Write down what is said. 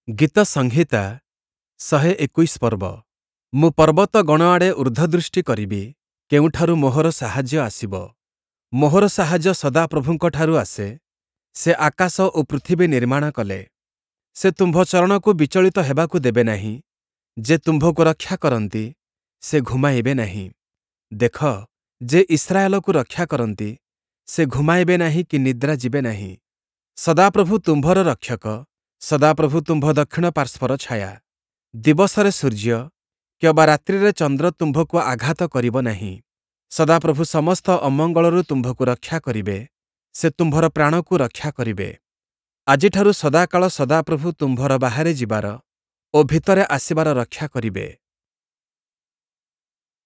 ଗୀତ ସଂହିତା 121 ପର୍ବ। ମୁଁ ପର୍ବତଗଣ ଆଡ଼େ ଊର୍ଦ୍ଧ୍ୱଦୃଷ୍ଟି କରିବି, କେଉଁଠାରୁ ମୋହର ସାହାଯ୍ୟ ଆସିବ? ମୋହର ସାହାଯ୍ୟ ସଦାପ୍ରଭୁଙ୍କଠାରୁ ଆସେ, ସେ ଆକାଶ ଓ ପୃଥିବୀ ନିର୍ମାଣ କଲେ। ସେ ତୁମ୍ଭ ଚରଣକୁ ବିଚଳିତ ହେବାକୁ ଦେବେ ନାହିଁ, ଯେ ତୁମ୍ଭକୁ ରକ୍ଷା କରନ୍ତି, ସେ ଘୁମାଇବେ ନାହିଁ। ଦେଖ, ଯେ ଇସ୍ରାଏଲକୁ ରକ୍ଷା କରନ୍ତି, ସେ ଘୁମାଇବେ ନାହିଁ କି ନିଦ୍ରା ଯିବେ ନାହିଁ। ସଦାପ୍ରଭୁ ତୁମ୍ଭର ରକ୍ଷକ, ସଦାପ୍ରଭୁ ତୁମ୍ଭ ଦକ୍ଷିଣ ପାର୍ଶ୍ୱର ଛାୟା। ଦିବସରେ ସୂର୍ଯ୍ୟ କିଅବା ରାତ୍ରିରେ ଚନ୍ଦ୍ର ତୁମ୍ଭକୁ ଆଘାତ କରିବ ନାହିଁ। ସଦାପ୍ରଭୁ ସମସ୍ତ ଅମଙ୍ଗଳରୁ ତୁମ୍ଭକୁ ରକ୍ଷା କରିବେ, ସେ ତୁମ୍ଭର ପ୍ରାଣକୁ ରକ୍ଷା କରିବେ। ଆଜିଠାରୁ ସଦାକାଳ ସଦାପ୍ରଭୁ ତୁମ୍ଭର ବାହାରେ ଯିବାର ଓ ଭିତରେ ଆସିବାର ରକ୍ଷା କରିବେ।